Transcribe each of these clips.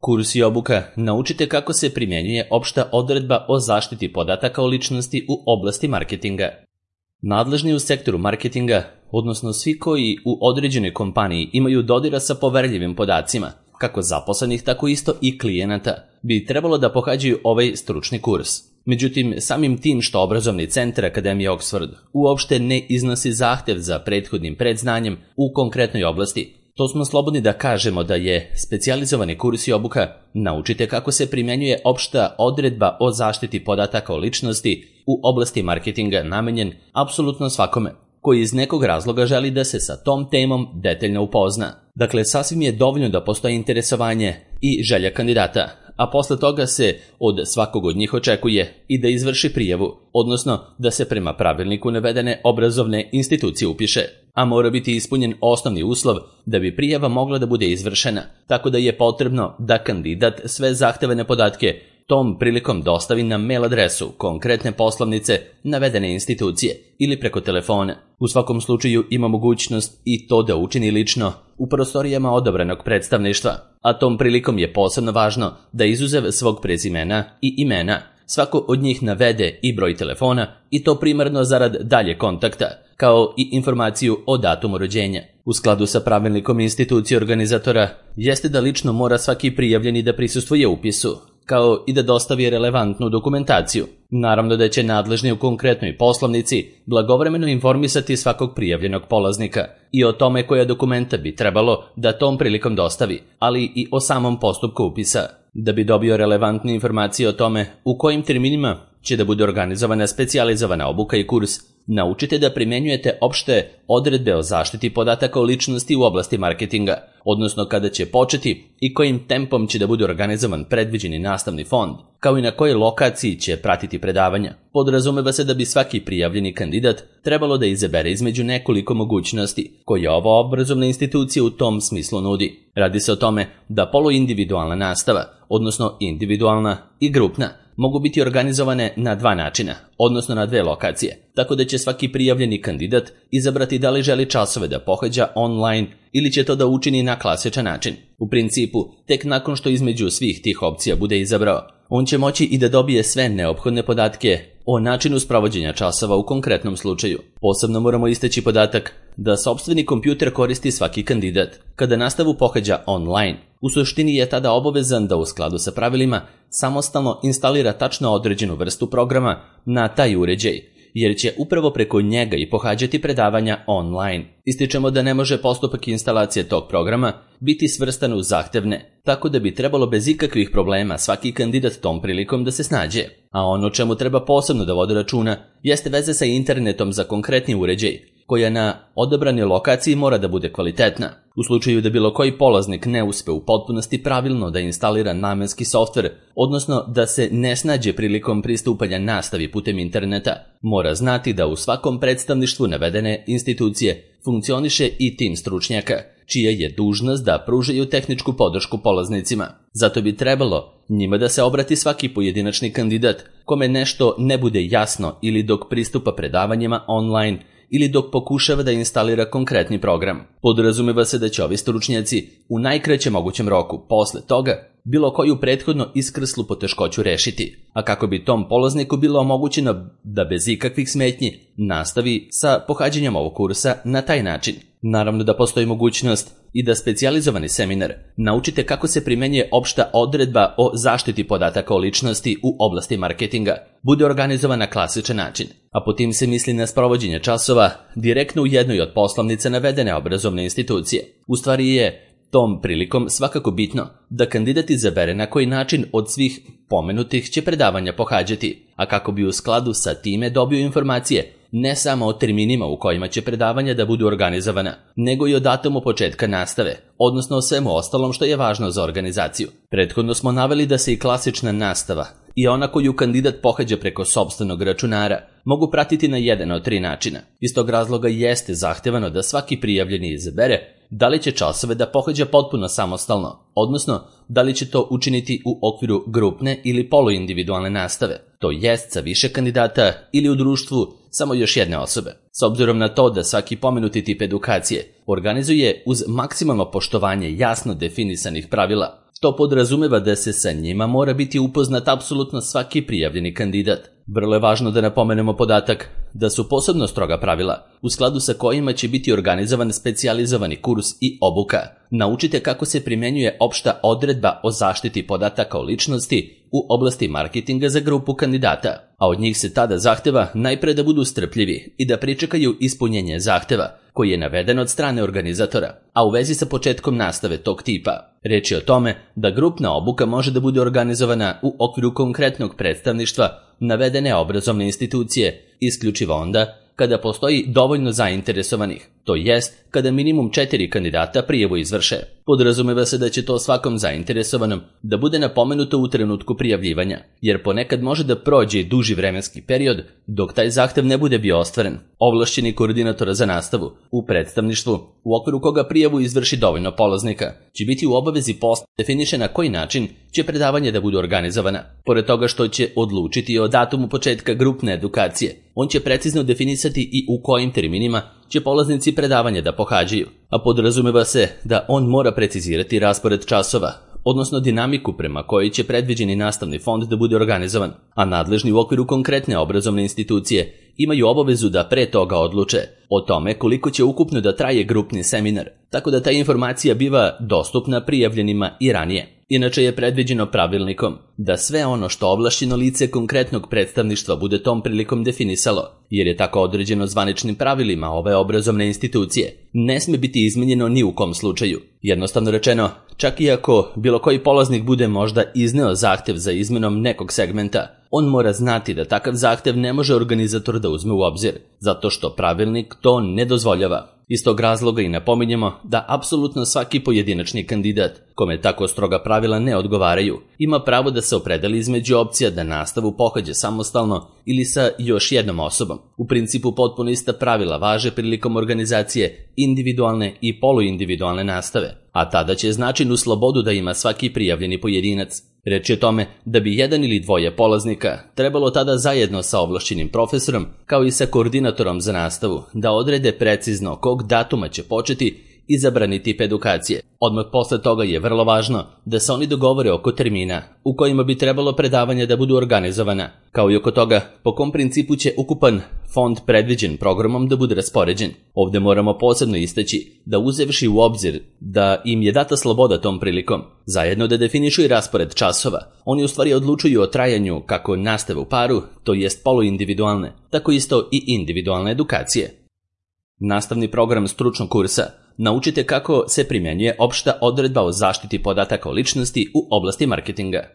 Kurs i obuka naučite kako se primjenjuje opšta odredba o zaštiti podataka o ličnosti u oblasti marketinga. Nadležni u sektoru marketinga, odnosno svi koji u određenoj kompaniji imaju dodira sa poverljivim podacima, kako zaposlenih tako isto i klijenata, bi trebalo da pohađaju ovaj stručni kurs. Međutim, samim tim što obrazovni centar Akademije Oxford uopšte ne iznosi zahtev za prethodnim predznanjem u konkretnoj oblasti, to smo slobodni da kažemo da je specijalizovani kurs i obuka naučite kako se primjenjuje opšta odredba o zaštiti podataka o ličnosti u oblasti marketinga namenjen apsolutno svakome koji iz nekog razloga želi da se sa tom temom detaljno upozna. Dakle, sasvim je dovoljno da postoji interesovanje i želja kandidata, a posle toga se od svakog od njih očekuje i da izvrši prijavu, odnosno da se prema pravilniku navedene obrazovne institucije upiše, a mora biti ispunjen osnovni uslov da bi prijava mogla da bude izvršena, tako da je potrebno da kandidat sve zahtevane podatke tom prilikom dostavi na mail adresu konkretne poslovnice navedene institucije ili preko telefona. U svakom slučaju ima mogućnost i to da učini lično u prostorijama odabranog predstavništva, a tom prilikom je posebno važno da izuzev svog prezimena i imena svako od njih navede i broj telefona i to primarno zarad dalje kontakta, kao i informaciju o datumu rođenja. U skladu sa pravilnikom institucije organizatora jeste da lično mora svaki prijavljeni da prisustvuje upisu, kao i da dostavi relevantnu dokumentaciju. Naravno da će nadležni u konkretnoj poslovnici blagovremeno informisati svakog prijavljenog polaznika i o tome koja dokumenta bi trebalo da tom prilikom dostavi, ali i o samom postupku upisa. Da bi dobio relevantne informacije o tome u kojim terminima će da bude organizovana specijalizovana obuka i kurs, naučite da primjenjujete opšte odredbe o zaštiti podataka o ličnosti u oblasti marketinga, odnosno kada će početi i kojim tempom će da bude organizovan predviđeni nastavni fond, kao i na kojoj lokaciji će pratiti predavanja. Podrazumeva se da bi svaki prijavljeni kandidat trebalo da izabere između nekoliko mogućnosti koje ova obrazovna institucija u tom smislu nudi. Radi se o tome da poluindividualna nastava, odnosno individualna i grupna, mogu biti organizovane na dva načina, odnosno na dve lokacije, tako da će svaki prijavljeni kandidat izabrati da li želi časove da pohađa online ili će to da učini na klasičan način. U principu, tek nakon što između svih tih opcija bude izabrao, on će moći i da dobije sve neophodne podatke o načinu sprovođenja časova u konkretnom slučaju. Posebno moramo istaći podatak da sopstveni kompjuter koristi svaki kandidat. Kada nastavu pohađa online, u suštini je tada obavezan da u skladu sa pravilima samostalno instalira tačno određenu vrstu programa na taj uređaj, jer će upravo preko njega i pohađati predavanja online. Ističemo da ne može postupak instalacije tog programa biti svrstan u zahtevne, tako da bi trebalo bez ikakvih problema svaki kandidat tom prilikom da se snađe. A ono čemu treba posebno da vodi računa jeste veze sa internetom za konkretni uređaj, koja na odabranoj lokaciji mora da bude kvalitetna. U slučaju da bilo koji polaznik ne uspe u potpunosti pravilno da instalira namenski softver, odnosno da se ne snađe prilikom pristupanja nastavi putem interneta, mora znati da u svakom predstavništvu navedene institucije funkcioniše i tim stručnjaka, čija je dužnost da pružaju tehničku podršku polaznicima. Zato bi trebalo njima da se obrati svaki pojedinačni kandidat kome nešto ne bude jasno ili dok pristupa predavanjima online ili dok pokušava da instalira konkretni program. Podrazumeva se da će ovi stručnjaci u najkraćem mogućem roku posle toga bilo koju prethodno iskrslu poteškoću rešiti, a kako bi tom polazniku bilo omogućeno da bez ikakvih smetnji nastavi sa pohađanjem ovog kursa na taj način. Naravno da postoji mogućnost i da specijalizovani seminar naučite kako se primenjuje opšta odredba o zaštiti podataka o ličnosti u oblasti marketinga bude organizovan na klasičan način, a po tim se misli na sprovođenje časova direktno u jednoj od poslovnica navedene obrazovne institucije. U stvari je tom prilikom svakako bitno da kandidat izabere na koji način od svih pomenutih će predavanja pohađati, a kako bi u skladu sa time dobio informacije ne samo o terminima u kojima će predavanja da budu organizovana, nego i o datumu početka nastave, odnosno o svemu ostalom što je važno za organizaciju. Prethodno smo naveli da se i klasična nastava i ona koju kandidat pohađa preko sopstvenog računara mogu pratiti na jedan od tri načina. Iz tog razloga jeste zahtevano da svaki prijavljeni izabere da li će časove da pohađa potpuno samostalno, odnosno da li će to učiniti u okviru grupne ili poluindividualne nastave, to jest sa više kandidata ili u društvu samo još jedne osobe. S obzirom na to da svaki pomenuti tip edukacije organizuje uz maksimalno poštovanje jasno definisanih pravila To podrazumeva da se sa njima mora biti upoznat apsolutno svaki prijavljeni kandidat. Vrlo je važno da napomenemo podatak da su posebno stroga pravila u skladu sa kojima će biti organizovan specijalizovani kurs i obuka. Naučite kako se primenjuje opšta odredba o zaštiti podataka o ličnosti u oblasti marketinga za grupu kandidata, a od njih se tada zahteva najpre da budu strpljivi i da pričekaju ispunjenje zahteva koji je naveden od strane organizatora, a u vezi sa početkom nastave tog tipa. Reč je o tome da grupna obuka može da bude organizovana u okviru konkretnog predstavništva navedene obrazovne institucije, isključivo onda kada postoji dovoljno zainteresovanih, to jest kada minimum 4 kandidata prijavu izvrše. Podrazumeva se da će to svakom zainteresovanom da bude napomenuto u trenutku prijavljivanja, jer ponekad može da prođe duži vremenski period dok taj zahtev ne bude bio ostvaren. Ovlašćeni koordinator za nastavu u predstavništvu, u okviru koga prijavu izvrši dovoljno polaznika, će biti u obavezi posla definiše na koji način će predavanje da bude organizovana. Pored toga što će odlučiti o datumu početka grupne edukacije, on će precizno definisati i u kojim terminima će polaznici predavanja da pohađaju, a podrazumeva se da on mora precizirati raspored časova, odnosno dinamiku prema kojoj će predviđeni nastavni fond da bude organizovan, a nadležni u okviru konkretne obrazovne institucije imaju obavezu da pre toga odluče o tome koliko će ukupno da traje grupni seminar, tako da ta informacija biva dostupna prijavljenima i ranije. Inače je predviđeno pravilnikom da sve ono što ovlašćeno lice konkretnog predstavništva bude tom prilikom definisalo, jer je tako određeno zvaničnim pravilima ove obrazovne institucije, ne sme biti izmenjeno ni u kom slučaju. Jednostavno rečeno, čak i ako bilo koji polaznik bude možda izneo zahtev za izmenom nekog segmenta, on mora znati da takav zahtev ne može organizator da uzme u obzir, zato što pravilnik to ne dozvoljava. Iz tog razloga i napominjemo da apsolutno svaki pojedinačni kandidat, kome tako stroga pravila ne odgovaraju, ima pravo da se opredeli između opcija da nastavu pohađa samostalno ili sa još jednom osobom. U principu potpuno ista pravila važe prilikom organizacije individualne i poluindividualne nastave, a tada će značajnu slobodu da ima svaki prijavljeni pojedinac. Reč je o tome da bi jedan ili dvoje polaznika trebalo tada zajedno sa ovlašćenim profesorom, kao i sa koordinatorom za nastavu, da odrede precizno kog datuma će početi izabrani tip edukacije. Odmah posle toga je vrlo važno da se oni dogovore oko termina u kojima bi trebalo predavanje da budu organizovana, kao i oko toga po kom principu će ukupan fond predviđen programom da bude raspoređen. Ovde moramo posebno istaći da uzevši u obzir da im je data sloboda tom prilikom, zajedno da definišu i raspored časova, oni u stvari odlučuju o trajanju kako nastave u paru, to jest poluindividualne, tako isto i individualne edukacije. Nastavni program stručnog kursa naučite kako se primjenjuje opšta odredba o zaštiti podataka o ličnosti u oblasti marketinga.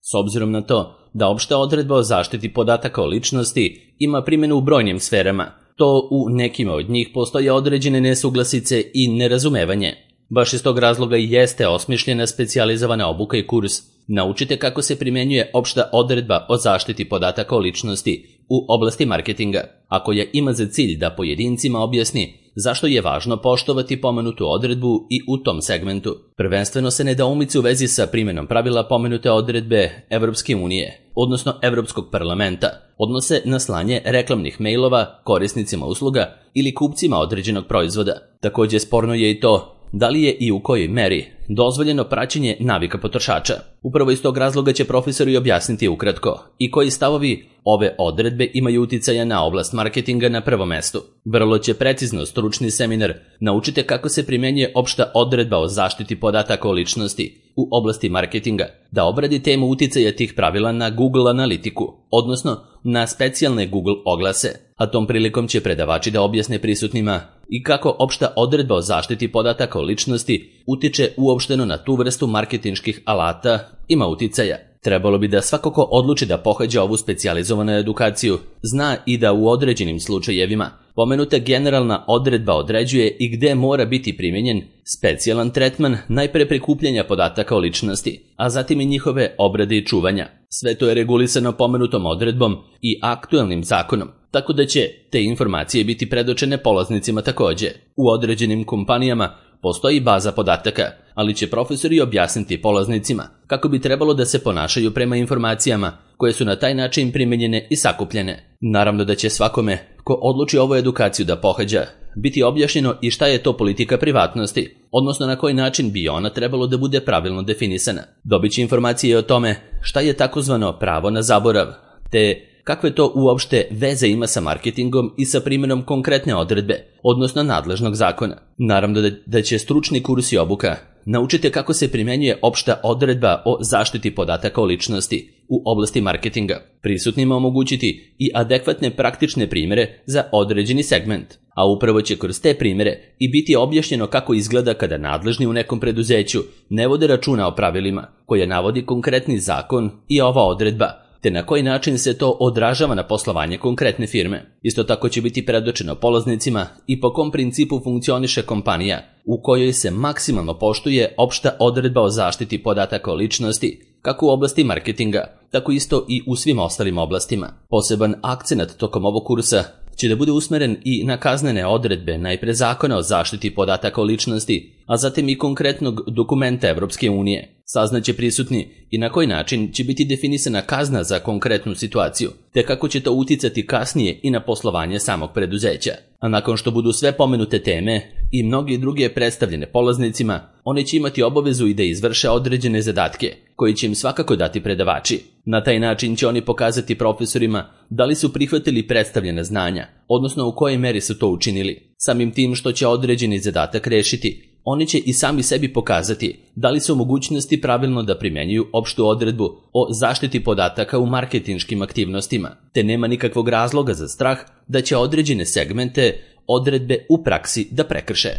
S obzirom na to da opšta odredba o zaštiti podataka o ličnosti ima primjenu u brojnim sferama, to u nekima od njih postoje određene nesuglasice i nerazumevanje. Baš iz tog razloga i jeste osmišljena specijalizovana obuka i kurs. Naučite kako se primjenjuje opšta odredba o zaštiti podataka o ličnosti u oblasti marketinga, a koja ima za cilj da pojedincima objasni zašto je važno poštovati pomenutu odredbu i u tom segmentu. Prvenstveno se nedoumice u vezi sa primjenom pravila pomenute odredbe Evropske unije, odnosno Evropskog parlamenta, odnose na slanje reklamnih mailova korisnicima usluga ili kupcima određenog proizvoda. Također sporno je i to da li je i u kojoj meri dozvoljeno praćenje navika potrošača. Upravo iz tog razloga će profesori objasniti ukratko i koji stavovi ove odredbe imaju uticaja na oblast marketinga na prvom mestu. Vrlo će precizno stručni seminar naučite kako se primjenjuje opšta odredba o zaštiti podataka o ličnosti u oblasti marketinga, da obradi temu uticaja tih pravila na Google analitiku, odnosno na specijalne Google oglase, a tom prilikom će predavači da objasne prisutnima i kako opšta odredba o zaštiti podataka o ličnosti utiče uopšteno na tu vrstu marketinških alata ima uticaja. Trebalo bi da svako ko odluči da pohađa ovu specijalizovanu edukaciju zna i da u određenim slučajevima pomenuta generalna odredba određuje i gde mora biti primjenjen specijalan tretman najpre prikupljanja podataka o ličnosti, a zatim i njihove obrade i čuvanja. Sve to je regulisano pomenutom odredbom i aktuelnim zakonom, tako da će te informacije biti predočene polaznicima takođe. U određenim kompanijama postoji baza podataka, ali će profesori objasniti polaznicima kako bi trebalo da se ponašaju prema informacijama koje su na taj način primenjene i sakupljene. Naravno da će svakome ko odluči ovu edukaciju da pohađa biti objašnjeno i šta je to politika privatnosti, odnosno na koji način bi ona trebalo da bude pravilno definisana. Dobit će informacije o tome šta je takozvano pravo na zaborav, te kakve to uopšte veze ima sa marketingom i sa primjenom konkretne odredbe, odnosno nadležnog zakona. Naravno da će stručni kurs i obuka naučiti kako se primjenjuje opšta odredba o zaštiti podataka o ličnosti u oblasti marketinga, prisutnima omogućiti i adekvatne praktične primjere za određeni segment, a upravo će kroz te primjere i biti objašnjeno kako izgleda kada nadležni u nekom preduzeću ne vode računa o pravilima koje navodi konkretni zakon i ova odredba, te na koji način se to odražava na poslovanje konkretne firme. Isto tako će biti predočeno polaznicima i po kom principu funkcioniše kompanija u kojoj se maksimalno poštuje opšta odredba o zaštiti podataka o ličnosti, kako u oblasti marketinga, tako isto i u svim ostalim oblastima. Poseban akcenat tokom ovog kursa će da bude usmeren i na kaznene odredbe najpre zakona o zaštiti podataka o ličnosti, a zatim i konkretnog dokumenta Evropske unije. Saznaće prisutni i na koji način će biti definisana kazna za konkretnu situaciju, te kako će to uticati kasnije i na poslovanje samog preduzeća. A nakon što budu sve pomenute teme i mnoge druge predstavljene polaznicima, oni će imati obavezu i da izvrše određene zadatke, koji će im svakako dati predavači. Na taj način će oni pokazati profesorima da li su prihvatili predstavljena znanja, odnosno u kojoj meri su to učinili. Samim tim što će određeni zadatak rešiti, oni će i sami sebi pokazati da li su u mogućnosti pravilno da primjenjuju opštu odredbu o zaštiti podataka u marketinškim aktivnostima, te nema nikakvog razloga za strah da će određene segmente odredbe u praksi da prekrše.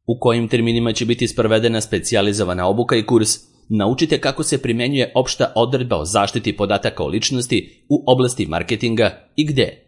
U kojim terminima će biti sprovedena specijalizovana obuka i kurs, naučite kako se primjenjuje opšta odredba o zaštiti podataka o ličnosti u oblasti marketinga i gde.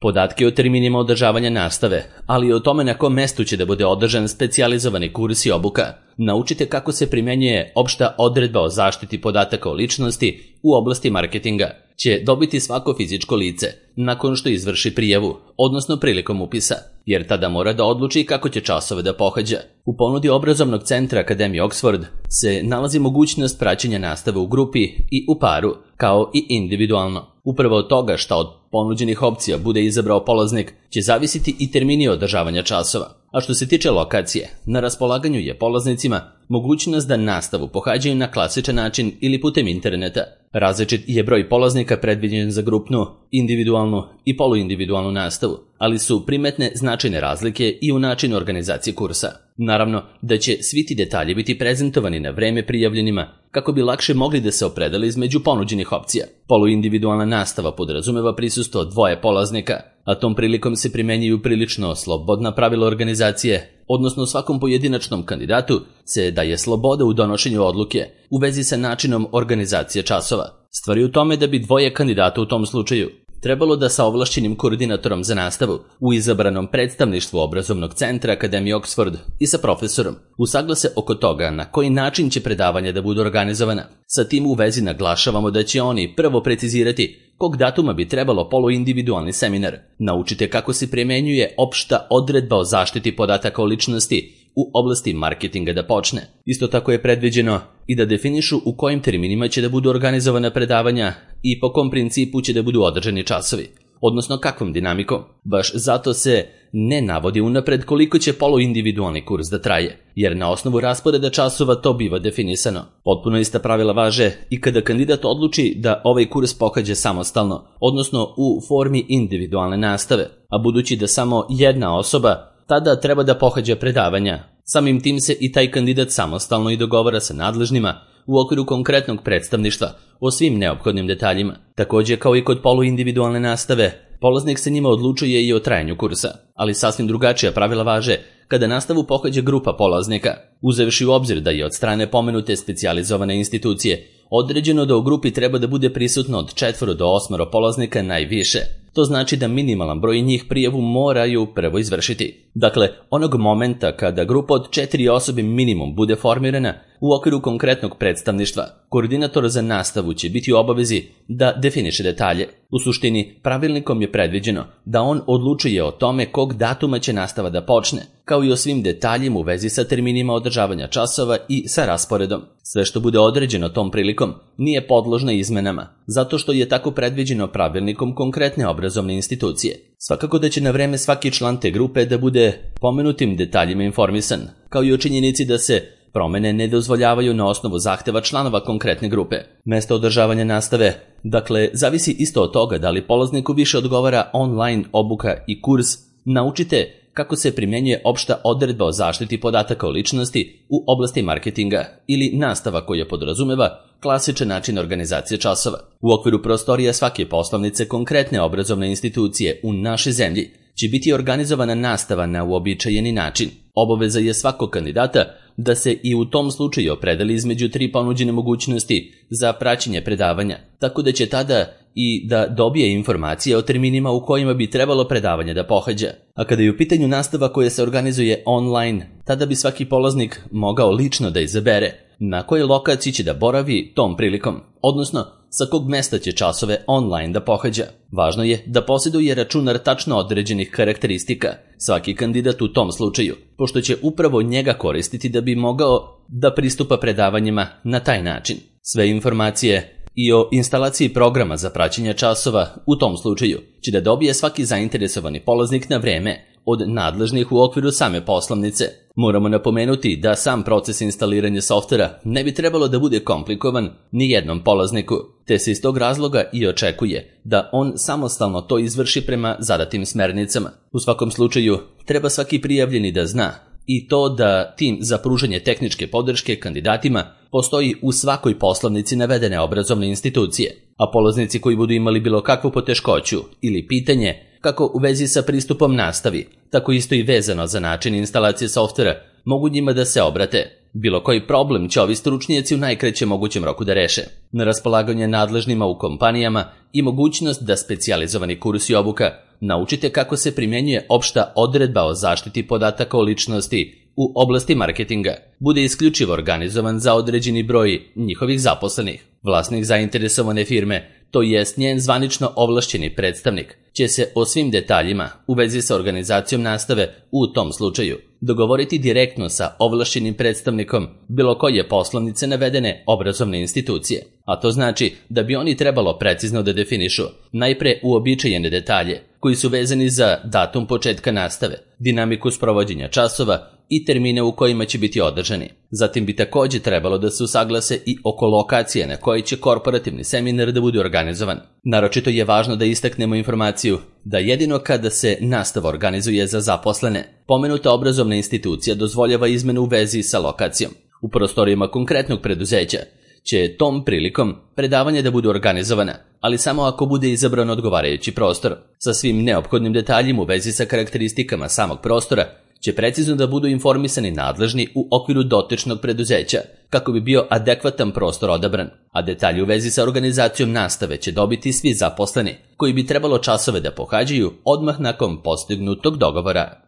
Podatke o terminima održavanja nastave, ali i o tome na kom mestu će da bude održan specijalizovani kurs i obuka. Naučite kako se primjenjuje opšta odredba o zaštiti podataka o ličnosti u oblasti marketinga. Će dobiti svako fizičko lice nakon što izvrši prijavu, odnosno prilikom upisa, jer tada mora da odluči kako će časove da pohađa. U ponudi obrazovnog centra Akademije Oxford se nalazi mogućnost praćenja nastave u grupi i u paru, kao i individualno. Upravo od toga šta od ponuđenih opcija bude izabrao polaznik će zavisiti i termini održavanja časova. A što se tiče lokacije, na raspolaganju je polaznicima mogućnost da nastavu pohađaju na klasičan način ili putem interneta. Različit je broj polaznika predviđen za grupnu, individualnu i poluindividualnu nastavu, ali su primetne značajne razlike i u načinu organizacije kursa. Naravno da će svi ti detalji biti prezentovani na vreme prijavljenima kako bi lakše mogli da se opredele između ponuđenih opcija. Poluindividualna nastava podrazumeva prisustvo dvoje polaznika, a tom prilikom se primenjuju prilično slobodna pravila organizacije, odnosno svakom pojedinačnom kandidatu se daje sloboda u donošenju odluke u vezi sa načinom organizacije časova. Stvar je u tome da bi dvoje kandidata u tom slučaju trebalo da sa ovlašćenim koordinatorom za nastavu u izabranom predstavništvu obrazovnog centra Akademije Oxford i sa profesorom usaglase oko toga na koji način će predavanja da budu organizovana. Sa tim u vezi naglašavamo da će oni prvo precizirati kog datuma bi trebalo poluindividualni seminar. Naučite kako se primjenjuje opšta odredba o zaštiti podataka o ličnosti u oblasti marketinga da počne. Isto tako je predviđeno i da definišu u kojim terminima će da budu organizovana predavanja i po kom principu će da budu održani časovi, odnosno kakvom dinamikom. Baš zato se ne navodi unapred koliko će poluindividualni kurs da traje, jer na osnovu rasporeda časova to biva definisano. Potpuno ista pravila važe i kada kandidat odluči da ovaj kurs pohađa samostalno, odnosno u formi individualne nastave, a budući da samo jedna osoba tada treba da pohađa predavanja. Samim tim se i taj kandidat samostalno i dogovara sa nadležnima u okviru konkretnog predstavništva o svim neophodnim detaljima. Također kao i kod poluindividualne nastave, polaznik se njima odlučuje i o trajanju kursa, ali sasvim drugačija pravila važe kada nastavu pohađa grupa polaznika, uzevši u obzir da je od strane pomenute specijalizovane institucije određeno da u grupi treba da bude prisutno od 4 do 8 polaznika najviše. To znači da minimalan broj njih prijavu moraju prvo izvršiti. Dakle, onog momenta kada grupa od 4 osobe minimum bude formirana u okviru konkretnog predstavništva, koordinator za nastavu će biti u obavezi da definiše detalje. U suštini, pravilnikom je predviđeno da on odlučuje o tome kog datuma će nastava da počne, kao i o svim detaljima u vezi sa terminima održavanja časova i sa rasporedom. Sve što bude određeno tom prilikom nije podložno izmenama, zato što je tako predviđeno pravilnikom konkretne obrazovne institucije. Svakako da će na vreme svaki član te grupe da bude pomenutim detaljima informisan, kao i o činjenici da se promene ne dozvoljavaju na osnovu zahteva članova konkretne grupe. Mesto održavanja nastave, dakle, zavisi isto od toga da li polazniku više odgovara online obuka i kurs Naučite kako se primjenjuje opšta odredba o zaštiti podataka o ličnosti u oblasti marketinga ili nastava koja podrazumeva klasičan način organizacije časova. U okviru prostorija svake poslovnice konkretne obrazovne institucije u našoj zemlji će biti organizovana nastava na uobičajeni način. Obaveza je svakog kandidata da se i u tom slučaju opredeli između 3 ponuđene mogućnosti za praćenje predavanja, tako da će tada i da dobije informacije o terminima u kojima bi trebalo predavanje da pohađa. A kada je u pitanju nastava koja se organizuje online, tada bi svaki polaznik mogao lično da izabere na kojoj lokaciji će da boravi tom prilikom, odnosno sa kog mesta će časove online da pohađa. Važno je da posjeduje računar tačno određenih karakteristika, svaki kandidat u tom slučaju, pošto će upravo njega koristiti da bi mogao da pristupa predavanjima na taj način. Sve informacije i o instalaciji programa za praćenje časova u tom slučaju će da dobije svaki zainteresovani polaznik na vreme od nadležnih u okviru same poslovnice. Moramo napomenuti da sam proces instaliranja softvera ne bi trebalo da bude komplikovan ni jednom polazniku, te se iz tog razloga i očekuje da on samostalno to izvrši prema zadatim smernicama. U svakom slučaju, treba svaki prijavljeni da zna i to da tim za pružanje tehničke podrške kandidatima postoji u svakoj poslovnici navedene obrazovne institucije, a polaznici koji budu imali bilo kakvu poteškoću ili pitanje kako u vezi sa pristupom nastavi, tako isto i vezano za način instalacije softvera, mogu njima da se obrate. Bilo koji problem će ovi stručnjaci u najkraćem mogućem roku da reše. Na raspolaganje nadležnima u kompanijama i mogućnost da specijalizovani kurs i obuka Naučite kako se primjenjuje opšta odredba o zaštiti podataka o ličnosti u oblasti marketinga bude isključivo organizovan za određeni broj njihovih zaposlenih. Vlasnik zainteresovane firme, to jest njen zvanično ovlašćeni predstavnik, će se o svim detaljima u vezi sa organizacijom nastave u tom slučaju dogovoriti direktno sa ovlašćenim predstavnikom bilo koje poslovnice navedene obrazovne institucije. A to znači da bi oni trebalo precizno da definišu najpre uobičajene detalje koji su vezani za datum početka nastave, dinamiku sprovođenja časova i termine u kojima će biti održani. Zatim bi također trebalo da se usaglase i oko lokacije na kojoj će korporativni seminar da bude organizovan. Naročito je važno da istaknemo informaciju da jedino kada se nastava organizuje za zaposlene, pomenuta obrazovna institucija dozvoljava izmenu u vezi sa lokacijom. U prostorijama konkretnog preduzeća će tom prilikom predavanje da bude organizovana, ali samo ako bude izabran odgovarajući prostor. Sa svim neophodnim detaljima u vezi sa karakteristikama samog prostora će precizno da budu informisani nadležni u okviru dotičnog preduzeća, kako bi bio adekvatan prostor odabran, a detalji u vezi sa organizacijom nastave će dobiti svi zaposleni, koji bi trebalo časove da pohađaju odmah nakon postignutog dogovora.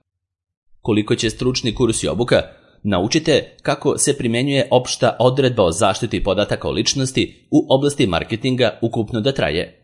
Koliko će stručni kurs i obuka Naučite kako se primjenjuje opšta odredba o zaštiti podataka o ličnosti u oblasti marketinga ukupno da traje.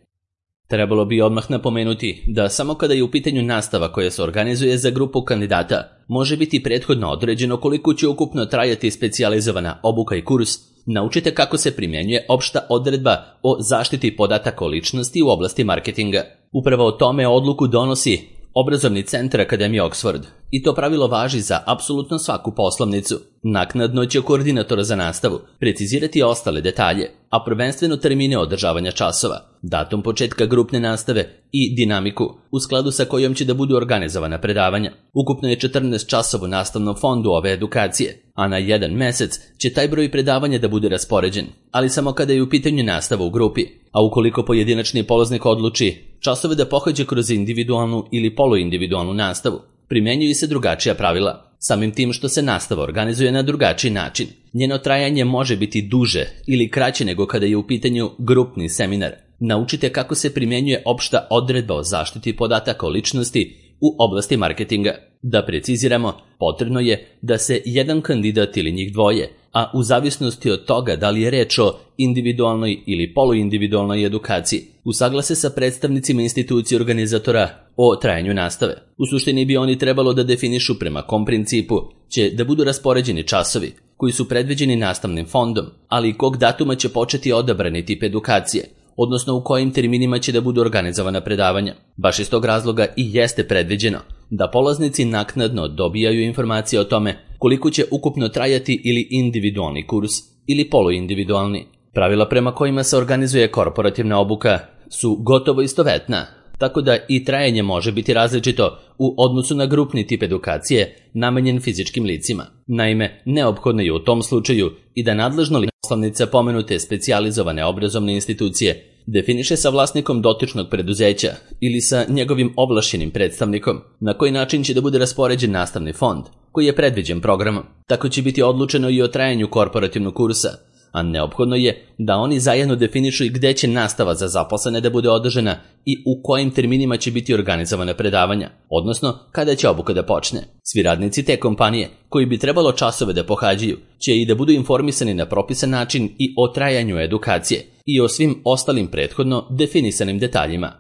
Trebalo bi odmah napomenuti da samo kada je u pitanju nastava koja se organizuje za grupu kandidata, može biti prethodno određeno koliko će ukupno trajati specijalizovana obuka i kurs. Naučite kako se primjenjuje opšta odredba o zaštiti podataka o ličnosti u oblasti marketinga. Upravo o tome odluku donosi Obrazovni centar Akademije Oxford i to pravilo važi za apsolutno svaku poslovnicu. Naknadno će koordinator za nastavu precizirati ostale detalje, a prvenstveno termine održavanja časova, datum početka grupne nastave i dinamiku u skladu sa kojom će da budu organizovana predavanja. Ukupno je 14 časova u nastavnom fondu ove edukacije, a na jedan mesec će taj broj predavanja da bude raspoređen, ali samo kada je u pitanju nastava u grupi, a ukoliko pojedinačni polaznik odluči časove da pohađa kroz individualnu ili poluindividualnu nastavu, primjenjuju se drugačija pravila. Samim tim što se nastava organizuje na drugačiji način, njeno trajanje može biti duže ili kraće nego kada je u pitanju grupni seminar. Naučite kako se primjenjuje opšta odredba o zaštiti podataka o ličnosti u oblasti marketinga. Da preciziramo, potrebno je da se jedan kandidat ili njih dvoje, a u zavisnosti od toga da li je reč o individualnoj ili poluindividualnoj edukaciji, usaglase sa predstavnicima institucije organizatora o trajanju nastave. U suštini bi oni trebalo da definišu prema kom principu će da budu raspoređeni časovi, koji su predviđeni nastavnim fondom, ali i kog datuma će početi odabrani tip edukacije, odnosno u kojim terminima će da budu organizovana predavanja. Baš iz tog razloga i jeste predviđeno da polaznici naknadno dobijaju informacije o tome koliko će ukupno trajati ili individualni kurs ili poluindividualni. Pravila prema kojima se organizuje korporativna obuka su gotovo istovetna, tako da i trajanje može biti različito u odnosu na grupni tip edukacije namenjen fizičkim licima. Naime, neophodno je u tom slučaju i da nadležno lice poslovnica pomenute specijalizovane obrazovne institucije definiše sa vlasnikom dotičnog preduzeća ili sa njegovim ovlašćenim predstavnikom na koji način će da bude raspoređen nastavni fond koji je predviđen programom. Tako će biti odlučeno i o trajanju korporativnog kursa, a neophodno je da oni zajedno definišu i gde će nastava za zaposlene da bude održana i u kojim terminima će biti organizovane predavanja, odnosno kada će obuka da počne. Svi radnici te kompanije, koji bi trebalo časove da pohađaju, će i da budu informisani na propisan način i o trajanju edukacije i o svim ostalim prethodno definisanim detaljima.